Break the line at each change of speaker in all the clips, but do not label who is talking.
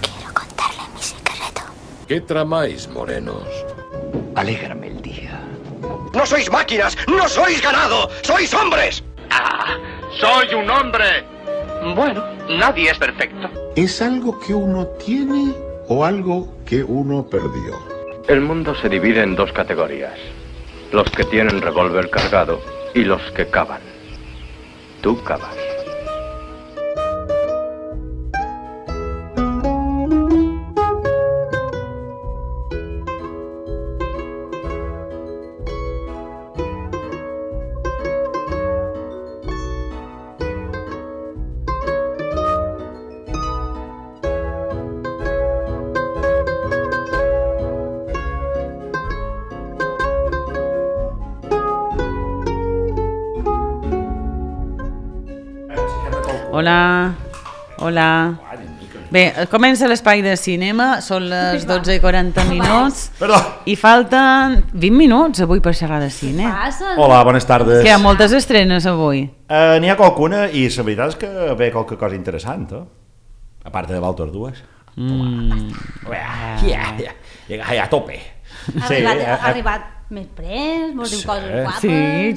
Quiero contarle mi secreto.
¿Qué tramáis, morenos?
Alégrame el día.
¡No sois máquinas! ¡No sois ganado! ¡Sois hombres!
¡Ah! ¡Soy un hombre! Bueno, nadie es perfecto.
¿Es algo que uno tiene o algo que uno perdió?
El mundo se divide en dos categorías. Los que tienen revólver cargado y los que cavan. Tú cavas.
Hola, hola. Bé, comença l'espai de cinema, són les 12:40
Perdó.
I falten 20 minuts avui per xerrar de cine.
Hola, bones tardes.
Que hi ha moltes estrenes avui.
N'hi ha qualcuna i la veritat és que ve qualque cosa interessant, a part de Valtor 2. Ja a tope.
Ha arribat més pres, mos diu coses guapes.
Sí,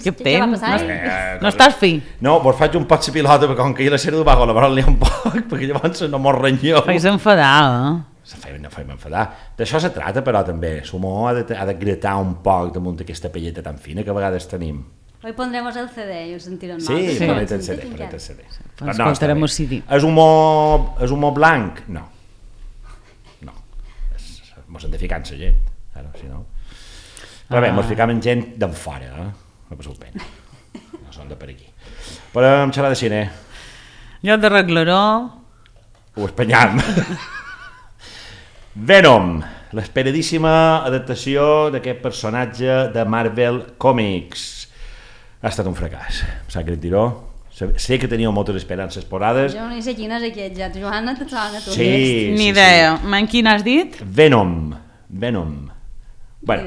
què
va
temps?
passar?
No estàs fi?
No, vos faig un pot de pilota perquè com que hi la sèrie de bajo la barra n'hi ha un poc, perquè llavors no mos renyeu.
Fais enfadar,
No feim enfadar. D'això se trata, però també. L'humor ha de gratar un poc damunt d'aquesta pelleta tan fina que a vegades tenim.
Hoy pondremos el CD y os sentirán mal.
Sí, ponete el CD.
Escoltarem el CD.
És humor blanc? No. Mos hem de ficar en la gent, si no. Però bé, mos ficam en gent d'en fora, no passeu pena. No són de per aquí. Però em xerrar de cine.
Jo d'arreglaró.
Ho espanyam. Venom, l'esperadíssima adaptació d'aquest personatge de Marvel Comics. Ha estat un fracàs. Em sap greu dir-ho. Sé que teníeu moltes esperances posades.
Jo no sé quin és aquest, ja. Joana, te sona tu.
Sí.
Ni idea. Quin has dit?
Venom. Bueno,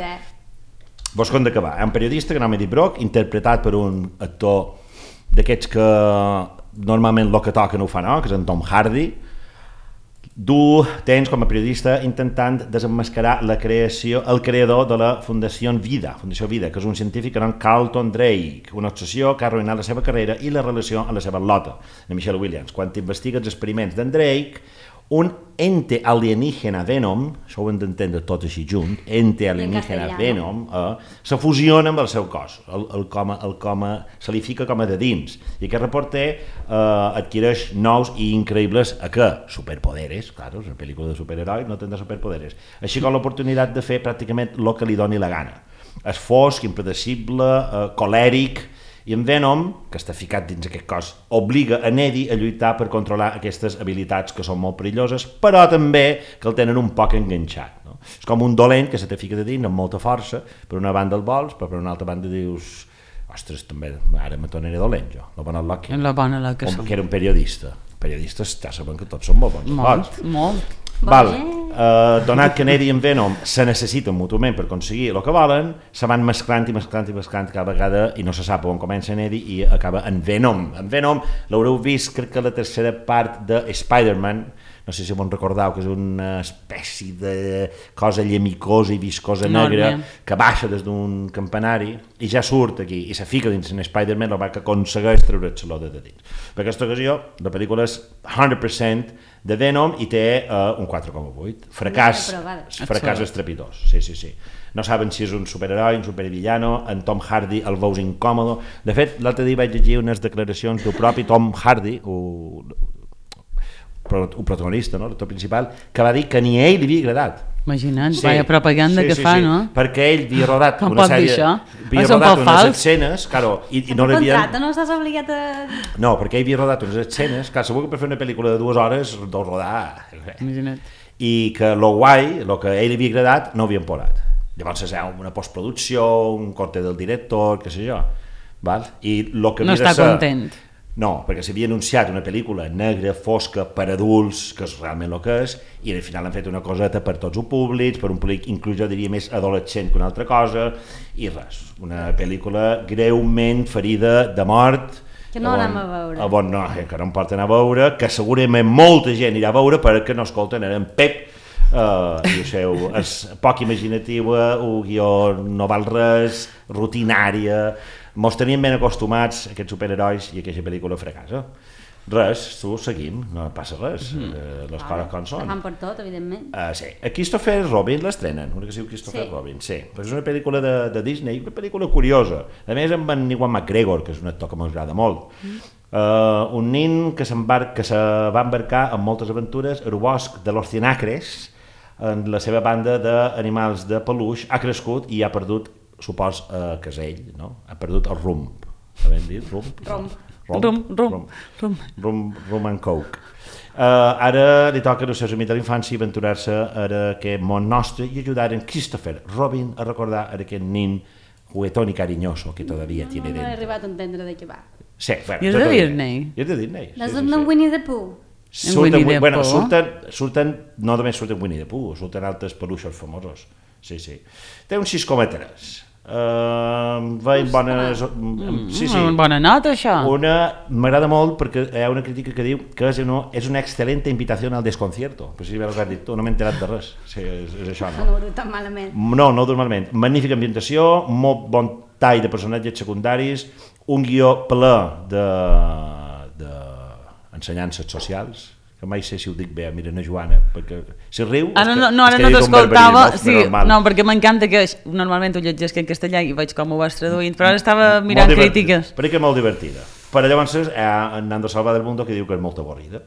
vos conta que va. Hi ha un periodista que nom Eddie Brock, interpretat per un actor d'aquests que normalment el que toca no ho fa, no? Que és en Tom Hardy. Tens com a periodista intentant desemmascarar el creador de la Fundació Vida, que és un científic que nom Carlton Drake, una obsessió que ha arruïnat la seva carrera i la relació amb la seva lota, de Michelle Williams. Quan investiga els experiments d'en Drake, un ente alienígena Venom, això ho hem d'entendre tot així junt, ente alienígena Venom, se fusiona amb el seu cos, se li fica com a de dins, i aquest reporter adquireix nous i increïbles superpoderes, clar, és una pel·lícula de superherois, no tindrà superpoderes, així com l'oportunitat de fer pràcticament el que li doni la gana. És fosc, impredecible, colèric, i en Venom, que està ficat dins aquest cos, obliga a Eddie a lluitar per controlar aquestes habilitats que són molt perilloses, però també que el tenen un poc enganxat. No? És com un dolent que se te fica de dins amb molta força, per una banda el vols, però per una altra banda dius ostres, també, ara me tornaré dolent jo, la bona Loki, que era un periodista. Periodistes ja saben que tots són molt bons.
Molt.
Donat que Eddie i en Venom se necessiten mútuament per aconseguir el que volen, se van mesclant cada vegada i no se sap on comença en Eddie i acaba en Venom. En Venom l'haureu vist, crec que la tercera part de Spider-Man, no sé si vos recordeu, que és una espècie de cosa llemicosa i viscosa negra que baixa des d'un campanari i ja surt aquí i se fica dins en Spider-Man, el que aconsegueix treure'l de dins. Per aquesta ocasió, la pel·lícula és 100% de Venom i té un 4,8. Fracàs estrepitós. Sí. No saben si és un superheroi, un supervillano, en Tom Hardy el veus incòmodo. De fet, l'altre dia vaig llegir unes declaracions del propi Tom Hardy, un protagonista, no? L'actor principal, que va dir que ni a ell li havia agradat.
Imagina't, vaya propaganda que fa, no?
Perquè ell havia rodat una sèrie, havia rodat unes escenes, i no l'havien...
No estàs obligat a...
No, perquè ell havia rodat unes escenes, segur que per fer una pel·lícula de 2 hores deu rodar...
Imagina't.
I que lo guai, el que a ell li havia agradat, no ho havien posat. Llavors és una postproducció, un corte del director, què sé jo. I lo que
no està content.
No, perquè s'havia anunciat una pel·lícula negra, fosca, per adults, que és realment el que és, i al final han fet una coseta per tots els públics, per un públic inclús jo diria més adolescent que una altra cosa, i res, una pel·lícula greument ferida de mort
Que no anem a veure.
Bon, no, que no em porten a veure, que segurament molta gent irà a veure perquè no escolten en Pep, i ho seu, és poc imaginativa, un guió no val res, rutinària, mos tenien ben acostumats a aquests superherois i a aquesta pel·lícula fracassa. Res, tu seguim, no passa res, les coses com són.
Fan per tot, evidentment.
Sí, a Christopher Robin l'estrenen, una que es diu Christopher Robin, sí, perquè és una pel·lícula de Disney, una pel·lícula curiosa, a més amb en Ewan McGregor, que és un actor que m'agrada molt. Un nin que se va embarcar en moltes aventures al bosc de los Cienacres, en la seva banda d'animals de peluix, ha crescut i ha perdut, supos que és ell, no? Ha perdut el rumb. Sabem dir? Rum and coke. Ara li toca als seus amics de l'infància aventurar-se a aquest món nostre i ajudar en Christopher Robin a recordar aquest nin juguetón y cariñoso que todavía tiene dentro.
No he arribat a entendre de què va.
Sí, bueno,
I és de Disney?
I és de Disney.
És de Winnie the Pooh.
Surten, no només surten Winnie the Pooh, surten altres peluixos famosos. Sí. Té un 6,3. Veiem bones...
Bona nota, això.
M'agrada molt perquè hi ha una crítica que diu que és una excelente invitación al desconcierto. Però si has dit tu, no m'he enterat de res. Sí, és això, no?
No ho diu tan malament.
No ho diu malament. Magnífica ambientació, molt bon tall de personatges secundaris, un guió ple d'ensenyances socials, que mai sé si ho dic bé, mira, na Joana, perquè si riu...
Ara no t'escoltava, no, perquè m'encanta que normalment ho llegeix en castellà i veig com ho vas traduint, però ara estava mirant crítiques.
Perquè és molt divertida. Però llavors en Nando Salva del Mundo que diu que és molt avorrida.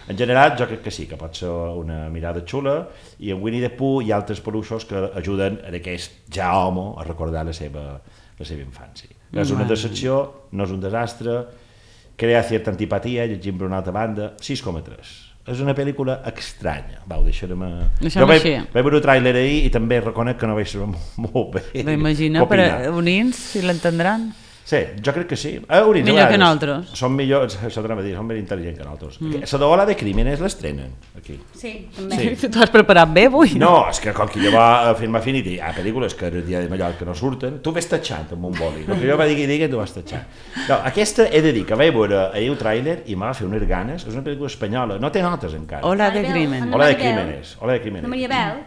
En general, jo crec que sí, que pot ser una mirada xula, i en Winnie the Pooh hi ha altres peluixos que ajuden a aquest ja home a recordar la seva infància. És una decepció, no és un desastre, crea certa antipatia, llegim per una altra banda, 6,3. És una pel·lícula estranya. Deixem-me... Jo vaig veure el tràiler ahir i també reconec que no vaig saber molt bé.
M'imagino, per a unins, si l'entendran.
Sí, jo crec que sí.
Millor que nosaltres.
Són millors, això t'anava a dir, són més intel·ligents que nosaltres. La d'Ola de Crímenes l'estrenen, aquí.
Sí, també.
Tu has preparat bé avui?
No, és que com que jo va a Film Affinity, hi ha pel·lícules que el dia de Mallorca no surten, tu ves tatxant amb un boli. El que jo va dir, tu vas tatxant. No, aquesta he de dir que vaig veure ahir el tràiler i m'ha fet unes ganes, és una pel·lícula espanyola, no té notes encara.
Ola de Crímenes.
Ola de Crímenes.
La Maria Bel.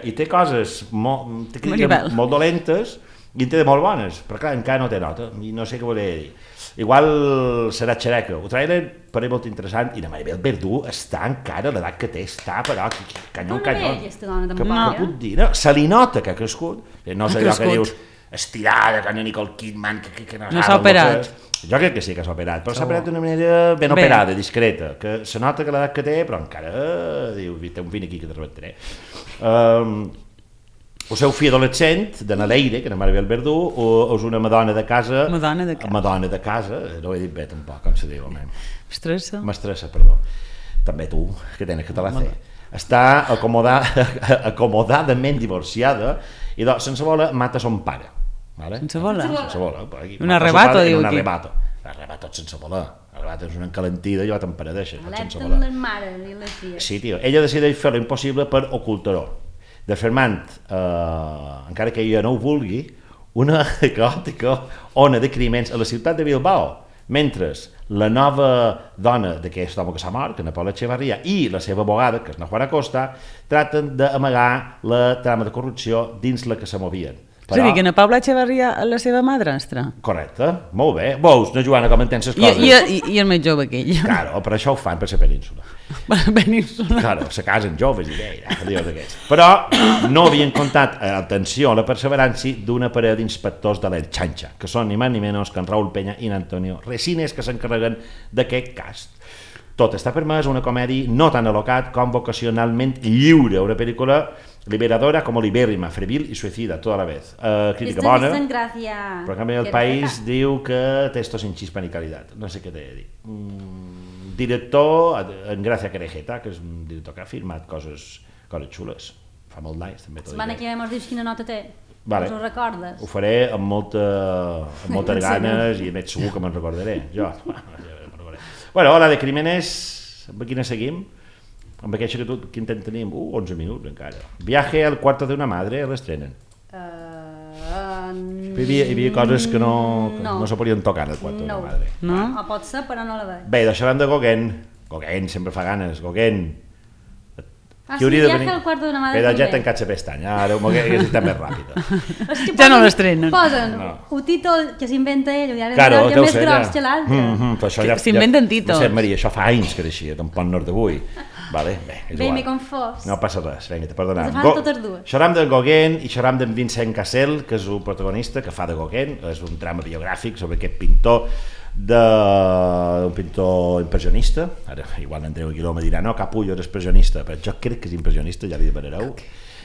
I té coses molt dolentes, i en té de molt bones, però clar, encara no té nota, i no sé què volia dir. Igual serà xereca. El tràiler per molt interessant, i la Maribel Verdú està encara, l'edat que té, està, però canyon. Què puc dir? Se li nota que ha crescut, no és allò que dius estirada, que Nicole Kidman, que no
s'ha operat.
Jo crec que sí que s'ha operat, però s'ha operat d'una manera ben operada, discreta, que se nota que l'edat que té, però encara, diu, té un vin aquí que te rebentaré. El seu fill adolescent, de Naleire, que és Maribel Verdú, és una madona de casa... Madona de casa, no ho he dit bé tampoc, com se diu, home. Mestressa, perdó. També tu, que tens que te la fer. Està acomodadament divorciada i sense voler mata son pare.
Sense voler?
Sense voler.
Un arrebato, diu aquí.
Un arrebato sense voler. L'arrebato és una encalentida i jo t'emparadeixa.
Alerta les mares i les filles.
Sí, tio. Ella decideix fer l'impossible per ocultar-ho, desfermant, encara que ella no ho vulgui, una caòtica ona de crimens a la ciutat de Bilbao, mentre la nova dona d'aquest home que s'ha mort, que és Paula Echevarría, i la seva abogada, que és Juana Costa, traten d'amagar la trama de corrupció dins la que se movien.
És a dir, que na Paula Echevarría és la seva madrastra.
Correcte, molt bé. Veus, no, Joana, com entens les coses?
I el més jove que ell.
Claro, per això ho fan, per la península. Claro, se casen joves i d'aquests. Però no havien comptat, atenció, la perseverància d'una parella d'inspectors de l'Elxanxa, que són ni més ni menys que en Raúl Peña i en Antonio Resines, que s'encarreguen d'aquest cas. Tot està permès, una comèdia no tan alocat com vocacionalment lliure, una pel·lícula liberadora como libérrima, febril y suicida toda la vez. Crítica bona, però en canvi el País diu que té esto sin chispa ni calidad. No sé què t'he de dir. Director, en Gracia Querejeta, que és un director que ha firmat coses xules. Fa molt d'anys, també.
La setmana que ve mos dius quina nota té.
Vale.
Us ho recordes?
Ho faré amb moltes ganes i a més segur que me'n recordaré. Jo. Bueno, Ola de Crímenes, amb quina seguim? Amb aquesta que tot, quin temps tenim? 11 minuts encara. Viaje al cuarto de una madre, l'estrenen. Hi havia coses que no se podien tocar en el quarto de la madre.
No?
O pot ser, però no la veig.
Bé, deixarem de Gauguin. Gauguin sempre fa ganes, Gauguin.
Sí, Viaje al cuarto de una madre
Però ja
també.
tancat la pestanya, ara que està més ràpida.
Ja no l'estrenen.
Posen un títol que s'inventa ell, i ara
Claro,
és més gros que l'altre.
S'inventen títols.
No sé, Maria, això fa anys que era així, tampoc no és d'avui. Vale, bé, és
Bé,
igual.
m'he confós.
No passa res, vinga, te perdonem.
Les fan totes dues.
Xerram de Gauguin i xerram d'en Vincent Cassel, que és un protagonista que fa de Gauguin, és un drama biogràfic sobre aquest pintor un pintor impressionista. Ara, igual Andreu Aguiló me dirà no, Capullo és expressionista, però jo crec que és impressionista, ja li demanareu.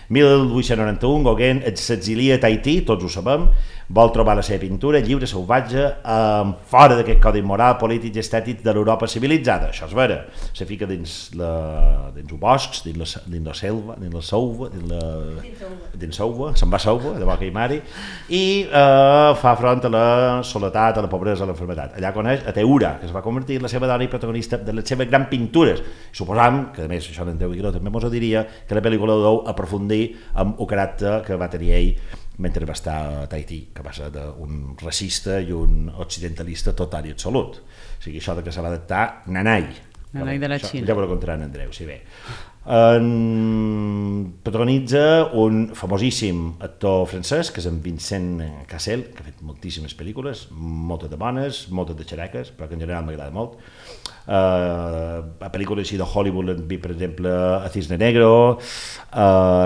1891, Gauguin s'exilia a Tahití, tots ho sabem, vol trobar la seva pintura lliure, salvatge, fora d'aquest codi moral, polític i estètic de l'Europa civilitzada. Això és vera. Se fica dins els boscs, dins la selva, dins la sauva, se'n va a sauva, de boca i mari, i fa front a la soledat, a la pobresa, a l'enfermetat. Allà coneix a Teura, que es va convertir en la seva dona i protagonista de les seves grans pintures. Suposam, que a més això d'en Déu Aguiló també mos ho diria, que la pel·lícula deu aprofundir amb el caràcter que va tenir ell mentre va estar a Tahití, que va ser d'un racista i un occidentalista total i absolut. O sigui, això de que se va adaptar nanai
de la Xina.
Ja ho contarà en Andreu, si bé. Protagonitza un famosíssim actor francès, que és en Vincent Cassel, que ha fet moltíssimes pel·lícules, moltes de bones, moltes de xereques, però que en general m'agrada molt. A pel·lícules així de Hollywood l'hem vist, per exemple, a Cisne Negro,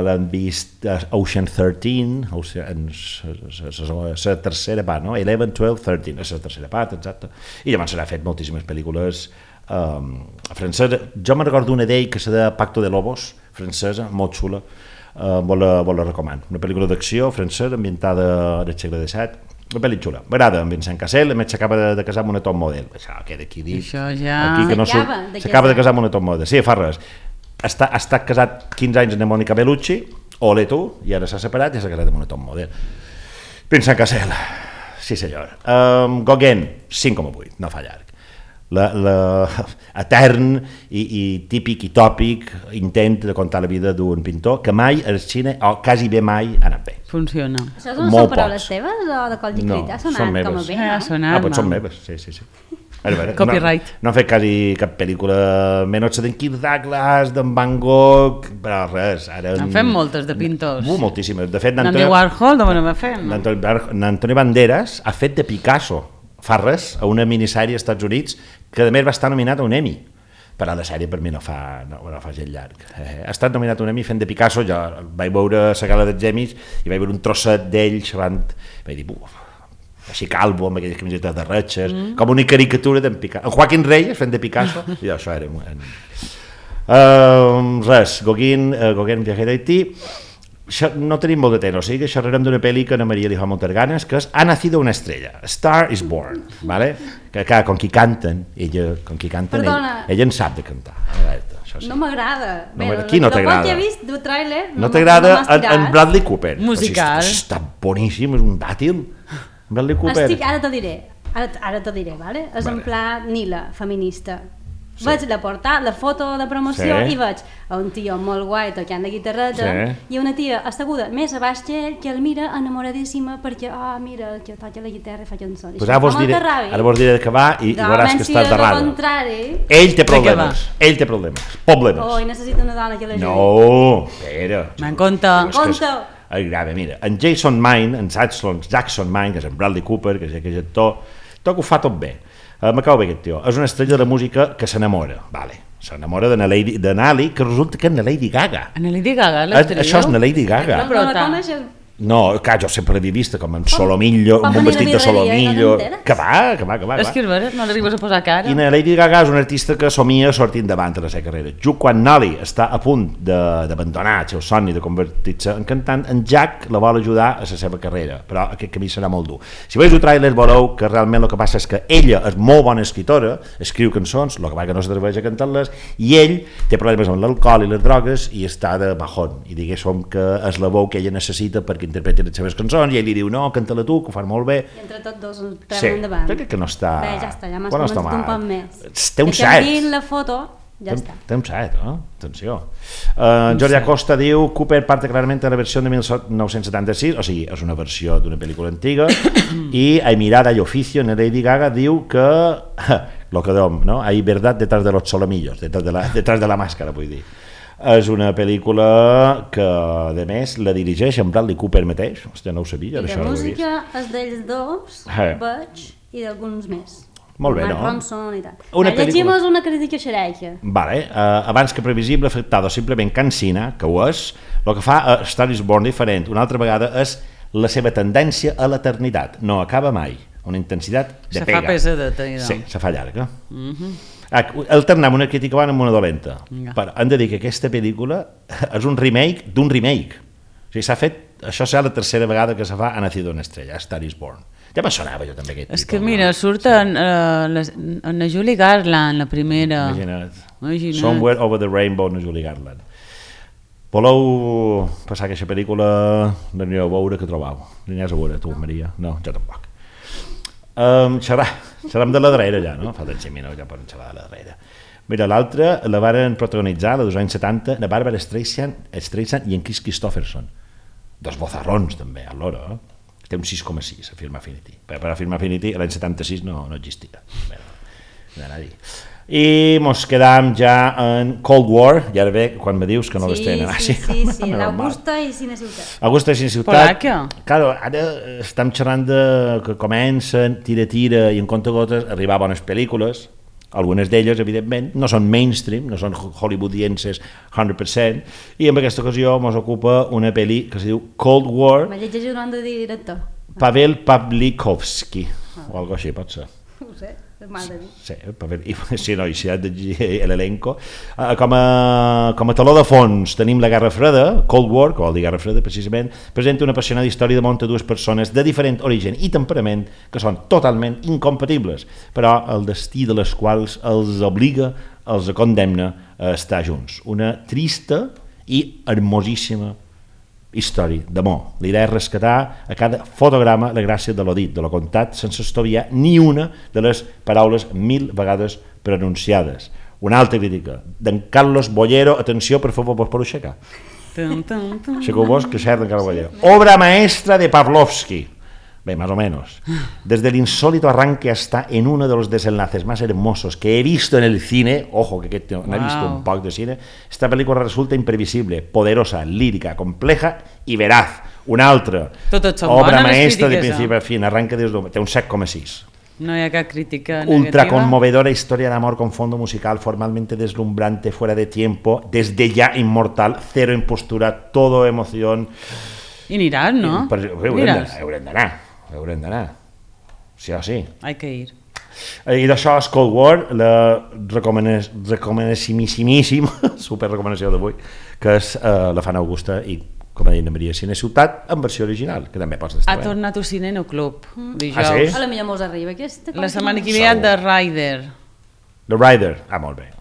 l'hem vist a Ocean 13, la tercera part, no? 11, 12, 13, és la tercera part, exacte. I llavors s'ha fet moltíssimes pel·lícules francesa. Jo me'n recordo una d'ell que se de Pacto de Lobos, francesa, molt xula, vos la recomano. Una pel·lícula d'acció francesa ambientada al segle XVII, una pel·li xula. M'agrada, en Vincent Cassel, a més s'acaba de casar amb una top model. Això queda aquí dit.
Això ja...
S'acaba de casar amb una top model. Sí, fa res. Ha estat casat 15 anys amb Mònica Bellucci, ole tu, i ara s'ha separat i s'ha casat amb una top model. Vincent Cassel, sí senyor. Gauguin, 5,8, no fa llarg. Etern i típic i tòpic intent de contar la vida d'un pintor que mai al cine, o quasi bé mai, ha anat bé.
Funciona.
Això són paraules teves o de qual llicrit? Ha sonat com a bé, no?
Pues
són meves, sí.
Copyright.
No han fet quasi cap pel·lícula, menys d'en Kirk Douglas, d'en Van Gogh, però res.
Han fet moltes de pintors.
Moltíssimes. De fet,
D'Andy Warhol, d'on va fer?
N'Antoni Banderas ha fet de Picasso, fa res, a una minissèrie als Estats Units, que a més va estar nominat a un Emmy. Però la sèrie per mi no fa gent llarg. Ha estat nominat a un Emmy fent de Picasso, jo vaig veure la gala dels Emmys i vaig veure un trosset d'ell xerrant, vaig dir, així calvo, amb aquelles camisetes de ratxes, com una caricatura d'en Picasso. En Joaquín Reyes fent de Picasso, i això era... Res, Gauguin, Viaje a Tahití. No tenim molt de temps, o sigui que xerrarem d'una pel·li que a Ana Maria li fa moltes ganes, que és Ha nacido una estrella, A Star is Born, ¿vale? Que clar, com qui canten, ella en sap de cantar.
No m'agrada.
Qui no t'agrada?
Que he vist del tràiler
no t'agrada en Bradley Cooper?
Musical.
Està boníssim, és un dàtil. Bradley Cooper.
Ara t'ho diré, ¿vale? És en pla Nila, feminista.
Sí.
Veig la foto de promoció i veig un tio molt guai tocant de guitarreta i una tia asseguda més a baix que ell, que el mira enamoradíssima perquè, mira, que toca la guitarra i fa cançons.
Pues ara vos diré que va i veuràs que estàs d'errada. Ell té problemes.
I necessita una dona que l'ajudi.
No, espera.
Me'n compte.
Grave, mira, en Jason Mine, en Jackson Mine, que és en Bradley Cooper, que és aquest actor, ho fa tot bé. M'acabo bé aquest tio, és una estrella de la música que s'enamora, s'enamora de Nali, que resulta que és na Lady Gaga.
Na Lady Gaga, l'estrella?
Això és na Lady Gaga.
No la coneixes?
No, clar, jo sempre l'havia vista com en Solomillo, amb un vestit de Solomillo. Que va.
És que és vera, no l'arribes a posar cara.
I la Lady Gaga és una artista que somia sortint davant de la seva carrera. Just quan Nali està a punt d'abandonar el seu somni de convertir-se en cantant, en Jack la vol ajudar a la seva carrera, però aquest camí serà molt dur. Si veus el tràiler veureu que realment el que passa és que ella és molt bona escritora, escriu cançons, el que va que no s'atreveix a cantar-les, i ell té problemes amb l'alcohol i les drogues i està de bajón, i diguéssim que és la veu que ella necessita perquè interpreti les seves cançons, i ell li diu no, canta-la tu, que ho fan molt bé.
I entre tots dos treuen endavant.
Crec que no està...
Bé, ja està, ja m'has comentat un poc més.
Té un cert.
Que la foto Ja està.
Té un 7, atenció. Jordi Acosta diu Cooper parte claramente de la versión de 1976, o sigui, és una versió d'una pel·lícula antiga, i Hay mirada y oficio en Lady Gaga diu que lo que dom, ¿no? Hay verdad detrás de los solomillos, detrás de la màscara, vull dir. És una pel·lícula que, de més, la dirigeix en Bradley Cooper mateix. Hòstia, no ho sabia.
I la música és d'ells dos, veig, i d'alguns més.
Molt bé,
Mark
no?
Ronson i tal.
Llegim
és una crítica xereixa.
Vale, abans que previsible, afectado simplement cansina, que ho és, el que fa a Star is Born diferent una altra vegada és la seva tendència a l'eternitat. No acaba mai. Una intensitat de pega.
Se fa pesadeta.
Sí, se fa llarga. Alternam una crítica bona amb una dolenta. Però hem de dir que aquesta pel·lícula és un remake d'un remake. O sigui, s'ha fet, això serà la tercera vegada que se fa a Nacido una estrella, a Star is Born. Ja me sonava jo també aquest
És que mira, surt en la Julie Garland, la primera.
Imagina't. Somewhere Over the Rainbow, na Julie Garland. Voleu passar aquesta pel·lícula, l'anireu a veure, que trobau? L'aniries a veure, tu, Maria? No, jo tampoc. Xerram de la darrera ja, no? Falten 5 minuts, ja poden xerrar de la darrera. Mira, l'altra la varen protagonitzar, la dels anys 70, la Barbara Streisand i en Kris Kristofferson. Dos bozarrons, també, a l'hora, Té un 6,6 a Film Affinity. Per a Film Affinity l'any 76 no existia. I mos quedam ja en Cold War, i ara ve quan me dius que no l'estrenen.
Sí, l'Augusta i Cine Ciutat.
Augusta i Cine Ciutat.
Polàquia.
Claro, ara estem xerrant de que comencen, tira, i en compte-gotes arribar a bones pel·lícules. Algunes d'elles, evidentment, no són mainstream, no són hollywoodienses 100%, i en aquesta ocasió ens ocupa una pel·li que es diu Cold War.
Me llegeix un nom de director.
Pavel Pawlikowski, o algo així, pot ser.
No ho sé, és mal de dir.
Sí, sí, no, i si ha de llegir l'elenco. Com a taló de fons tenim la Guerra Freda, Cold War, que vol dir Guerra Freda precisament, presenta una apassionada història de munta dues persones de diferent origen i temperament que són totalment incompatibles, però el destí de les quals els obliga, els condemna a estar junts. Una trista i hermosíssima història d'amor. L'idea és rescatar a cada fotograma la gràcia de lo dit, de lo contat, sense estoviar ni una de les paraules 1000 vegades pronunciades. Una altra crítica d'en Carlos Bollero. Atenció, per favor, vos per aixecar. Aixequeu-vos, que xerra d'en Carlos Bollero. Obra maestra de Pavlovsky. Bé, más o menos. Desde el insólito arranque hasta en uno de los desenlaces más hermosos que he visto en el cine, ojo, que no he visto un poc de cine, esta película resulta imprevisible, poderosa, lírica, compleja y veraz. Una altra, obra maestra de principi a fin, arranca des d'un... Té un 7,6.
No hi ha cap crítica negativa.
Ultra conmovedora historia de amor con fondo musical formalmente deslumbrante, fuera de tiempo, desde ya inmortal, cero impostura, todo emoción.
I aniràs, no?
Haurem d'anar. Sí o sí.
Hay que ir.
I d'això és Cold War, la recomanessimíssim, super recomanació d'avui, que és la Fan Augusta i, com ha dit la Maria, Cine Ciutat en versió original, que també pots estar bé.
Ha tornat al Cine No Club dijous.
Ah, sí?
A la millor mos arriba aquesta.
La setmana que ve de Rider.
The Rider, molt bé.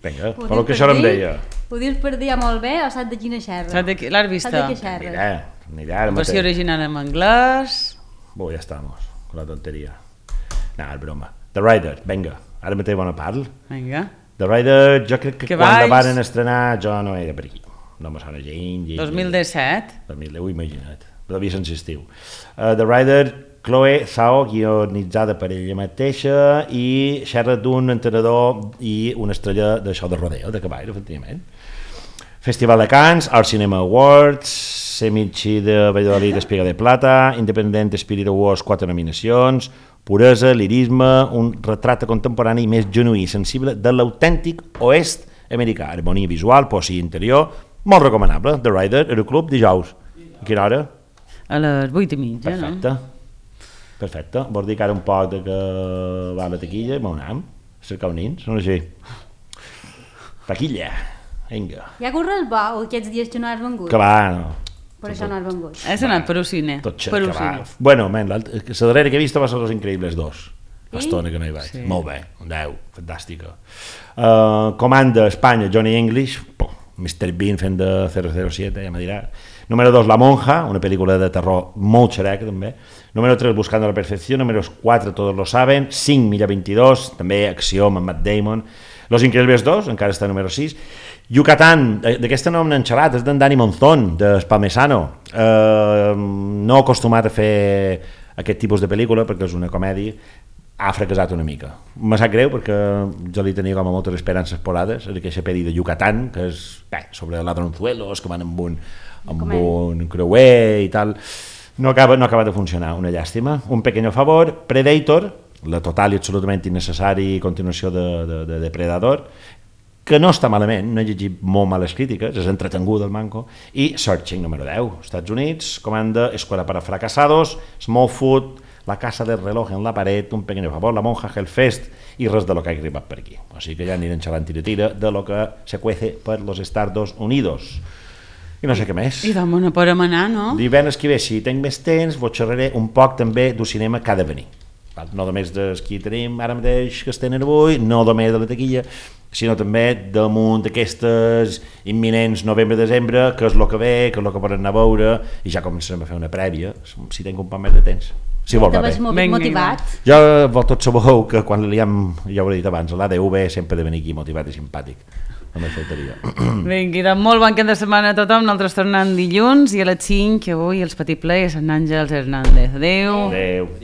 Vinga, però que això no em deia.
Podies per dir molt bé o saps de quina xerra?
L'has vista?
Anirà.
Versió original en anglès.
Ja estamos, con la tonteria. No, és broma. The Rider, vinga, ara mateix bona parla.
Vinga.
The Rider, jo crec que quan la van estrenar jo no era per aquí. No me sona gens.
2017?
2010, imagina't. Devia ser estiu. The Rider, Chloe Zhao, guionitzada per ella mateixa, i xerra d'un entrenador i una estrella d'això de rodeo, de cavall, efectivament. Festival de Cannes, Art Cinema Awards, Semichi de Valladolid, Espiga de Plata, Independent Spirit Awards, 4 nominacions, puresa, lirisme, un retrat contemporani més genuí i sensible de l'autèntic oest americà. Harmonia visual, poesia interior, molt recomanable. The Rider, Aeroclub, dijous. A quina hora?
A les 8:30,
perfecte.
No?
Perfecte. Vols dir que ara un poc de que va a la taquilla i m'anem a cercar un nins, no així? Taquilla. Vinga.
Ja corre el bo, aquests dies que no has vengut?
Que va, no.
Per això no has vengut.
Has anat per un cine.
Tot xer, que va. Bueno, la darrera que he vist va ser Los Increïbles 2. L'estona que no hi vaig. Sí. Molt bé, un 10, fantàstica. Comanda Espanya, Johnny English, Mr. Bean fent de 007, ja me dirà. Número 2, La Monja, una pel·lícula de terror molt xerec, també. Número 3, Buscando la Perfecció. Número 4, Todos lo saben. 5, Milla 22, també acció amb Matt Damon. Los Increíbles 2, encara està número 6. Yucatán, d'aquesta no n'hem xerrat, és d'en Dani Monzón, d'Espalmesano. No acostumat a fer aquest tipus de pel·lícula perquè és una comèdia, ha fracassat una mica. Me sap greu perquè jo li tenia com a moltes esperances posades en aquesta pel·li de Yucatán, que és sobre ladronzuelos que van amb un creuer i tal. No acaba de funcionar, una llàstima. Un pequeño favor, Predator, la total i absolutament innecessari continuació de Depredador, que no està malament, no he llegit molt males crítiques, és entretengut el manco, i Searching número 10, Estats Units, comanda Escuela para fracasados, Smallfoot, La casa del reloj en la paret, Un pequeño favor, La monja Hellfest i res de lo que ha arribat per aquí. O sigui que ja anirem xerrant tira de lo que se cuece per los Estados Unidos. I no sé què més.
I d'on no podem anar, no?
Divendres que ve, si tinc més temps, vos xerraré un poc també del cinema que ha de venir. No només dels que tenim ara mateix que estan avui, no només de la taquilla, sinó també damunt d'aquestes imminents novembre-desembre, que és el que ve, que és el que poden anar a veure, i ja començarem a fer una prèvia, si tinc un poc més de temps. Si vol, va bé.
Motivat.
Jo tots sabeu que quan ja ho he dit abans, l'ADV sempre de venir aquí motivat i simpàtic. Només faltaria.
Vinga, molt bon cap de setmana a tothom. Nosaltres tornem dilluns i a les 5, que avui els Petit Play és en Àngels Hernández. Adéu.
Adéu.